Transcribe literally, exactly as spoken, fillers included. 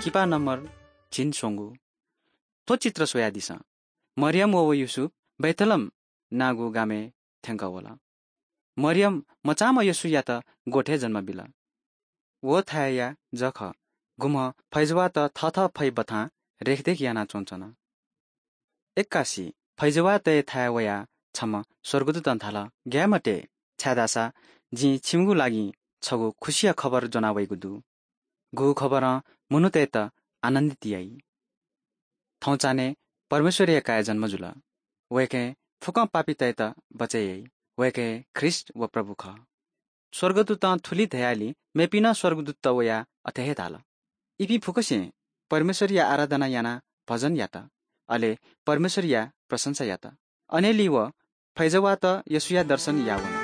किपा नम्बर झिंस्वंगू। थ्व चित्र स्वयादिसँ। मरियम व व युसुफ बैतलम नागु गामय् थ्यंकः वल। मरियम मचाम्ह येशूयात गोठय् जन्म बिल। व थाय्‌या जः खः, गुम्ह फैजवाःत थःथः फै बथां रेखदेख यानाच्वंच्वन। एक्कासि फैजवाःतय् थाय् वयाः छम्ह स्वर्गदूतं धाल, "ग्याये मते, छाय्‌धाःसा जिं छिमिगु लागि छगू खुसिया खबर ज्वना वइगु दु। गु खबरं मनूतय्‌त आनन्दित याइ। थौंचान्हय् परमेश्वरया काय् जन्म जुल। वय्‌कः फुक्कं पापीतय्‌त बचय् याइ। वय्‌कः ख्रीष्ट व प्रभु खः।" स्वर्गदूतं थुलि धयालि मेपिं नं स्वर्गदूतत वयाः अथे हे धाल। इपिं फुक्कसिं परमेश्वरया आराधना यानाः भजन यात, अले परमेश्वरया प्रशंसा यात। अनंलि व फैजवाःत येशूया दर्शन याः वन।